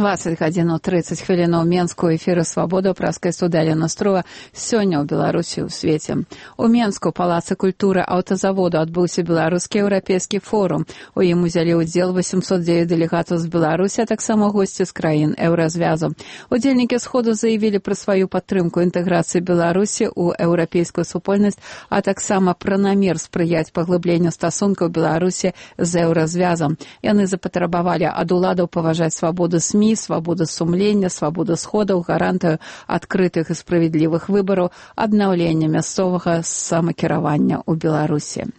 20:30 ў Менску эфіры «Свабода» праскай студыя Настрова сёння ў Беларусі ў свеце. У Менску палацы культуры аўтазаводу адбыўся беларускі еўрапейскі форум. У ім узялі ўдзел 809 дэлегатаў з Беларусі, а таксама госці з краін еўразвязу. Удзельнікі сходу заявілі пра сваю падтрымку інтэграцыі Беларусі ў еўрапейскую супольнасць, а таксама пра намер спрыяць паглыбленню стасункаў Беларусі з еўразвязам. Яны запатрабавалі ад уладаў паважаць свабоду СМІ, свабода сумлення, свабода сходаў, гарантыю адкрытых і справядлівых выбараў, аднаўлення мясцовага самакіравання ў Беларусі.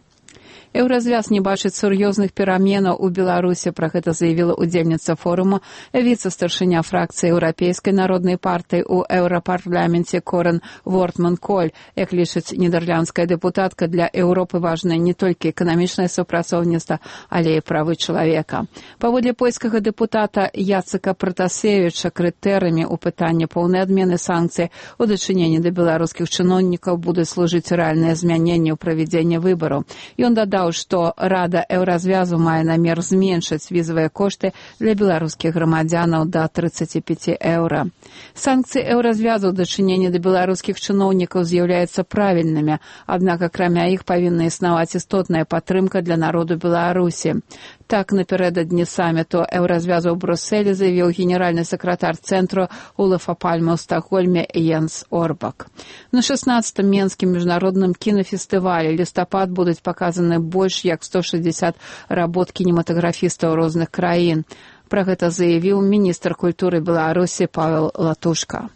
Еўразвяз не бачыць сур'ёзных пераменаў у Беларусі, пра гэта заявіла удзельніца форума, віцэ-старшыня фракцыі Еўрапейскай народнай партыі ў еўрапарламенце Корен Вортман-Коль. Як лічыць нідерландская дэпутатка, для Еўропы важна не толькі эканамічнае супрацоўніцтва, але і правы чалавека. Паводле польскага дэпутата Яцека Пратасевіча, крытэрыямі ў пытанні поўнай адмены санкцый у дачыненні да беларускіх чыноўнікаў будуць служыць рэальнае змяненне ў правядзенні выбараў. Ён дадаў, што Рада еўразвязу мае намер зменшыць візавыя кошты для беларускіх грамадзянаў да 35 еўра. Санкцыі еўразвязу ў дачыненні да беларускіх чыноўнікаў з'яўляюцца правільнымі, аднак акрамя іх павінна існаваць істотная падтрымка для народу Беларусі. Так, напярэдадні саміту еўразвязу ў Брусэлі заявіў генеральны сакратар цэнтру Олафа Пальме ў Стакгольме Йенс Орбак. На 16-м Менскім міжнародным кінафестывалі лістапад будуць паказаны больш як 160 работ кінематаграфістаў розных краін. Пра гэта заявіў міністр культуры Беларусі Павел Латушка.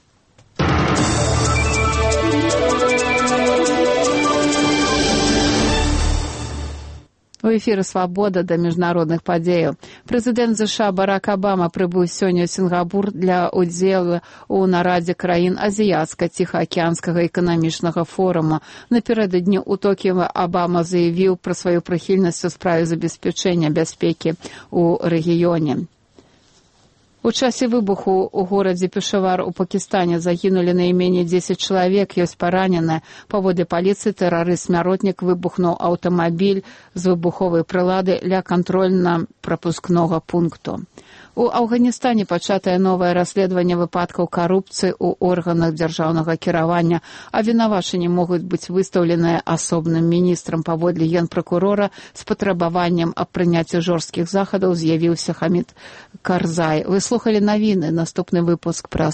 У эфіры «Свабода» да міжнародных падзеяў. Прэзідэнт ЗША Барак Абама прыбыў сёння ў Сінгапур для ўдзелу ў нарадзе краін азіяцка-ціхаакіянскага эканамічнага форума. Напярэдадні ў Токіо Абама заявіў пра сваю прыхільнасць у справе забеспячэння бяспекі ў рэгіёне. У часе выбуху ў горадзе Пешавар у Пакістане загінулі найменей 10 чалавек, ёсць параненыя. Паводле паліцыі тэрарыст-смяротнік выбухнуў аўтамабіль з выбуховай прылады ля кантрольна-прапускнога пункту. У Афганістане пачатае новае расследаванне выпадкаў карупцыі ў органах дзяржаўнага кіравання, а вінавачанні могуць быць выстаўленыя асобным міністрам. Паводле генпракурора з патрабаваннем аб прыняцці жорсткіх захадаў з'явіўся Хамід Карзай. Вы слухалі навіны, наступны выпуск пра